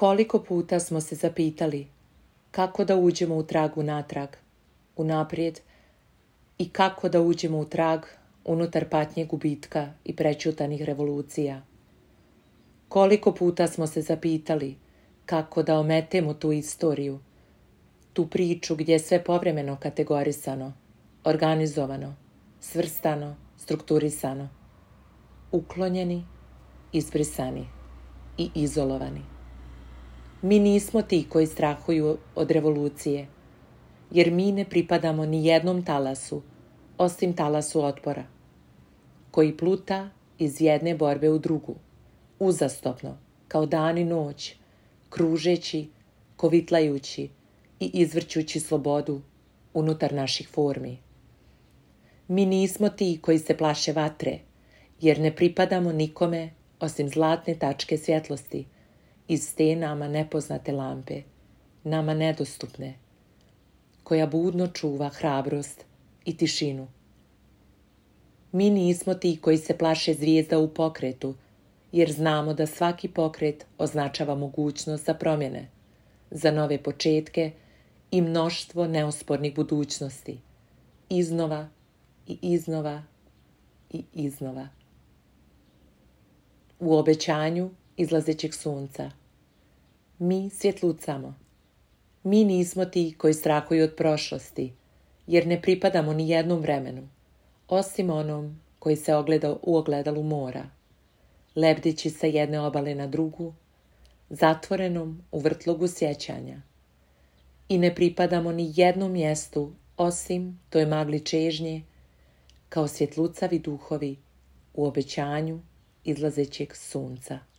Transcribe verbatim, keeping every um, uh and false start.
Koliko puta smo se zapitali kako da uđemo u trag unatrag, unaprijed, i kako da uđemo u trag unutar patnje gubitka i prećutanih revolucija. Koliko puta smo se zapitali kako da ometemo tu istoriju, tu priču gdje je sve povremeno kategorisano, organizovano, svrstano, strukturisano, uklonjeni, izbrisani i izolovani. Mi nismo ti koji strahuju od revolucije, jer mi ne pripadamo ni jednom talasu, osim talasu otpora, koji pluta iz jedne borbe u drugu, uzastopno, kao dan i noć, kružeći, kovitlajući i izvrćući slobodu unutar naših formi. Mi nismo ti koji se plaše vatre, jer ne pripadamo nikome osim zlatne tačke svjetlosti iz te nama nepoznate lampe, nama nedostupne, koja budno čuva hrabrost i tišinu. Mi nismo ti koji se plaše zvijezda u pokretu, jer znamo da svaki pokret označava mogućnost za promjene, za nove početke i mnoštvo neospornih budućnosti, iznova i iznova i iznova. U obećanju izlazećeg sunca mi svjetlucamo. Mi nismo ti koji strahuju od prošlosti, jer ne pripadamo ni jednom vremenu, osim onom koji se ogleda u ogledalu mora, lebdeći sa jedne obale na drugu, zatvorenom u vrtlogu sjećanja. I ne pripadamo ni jednom mjestu, osim toj magli čežnje, kao svjetlucavi duhovi u obećanju izlazećeg sunca.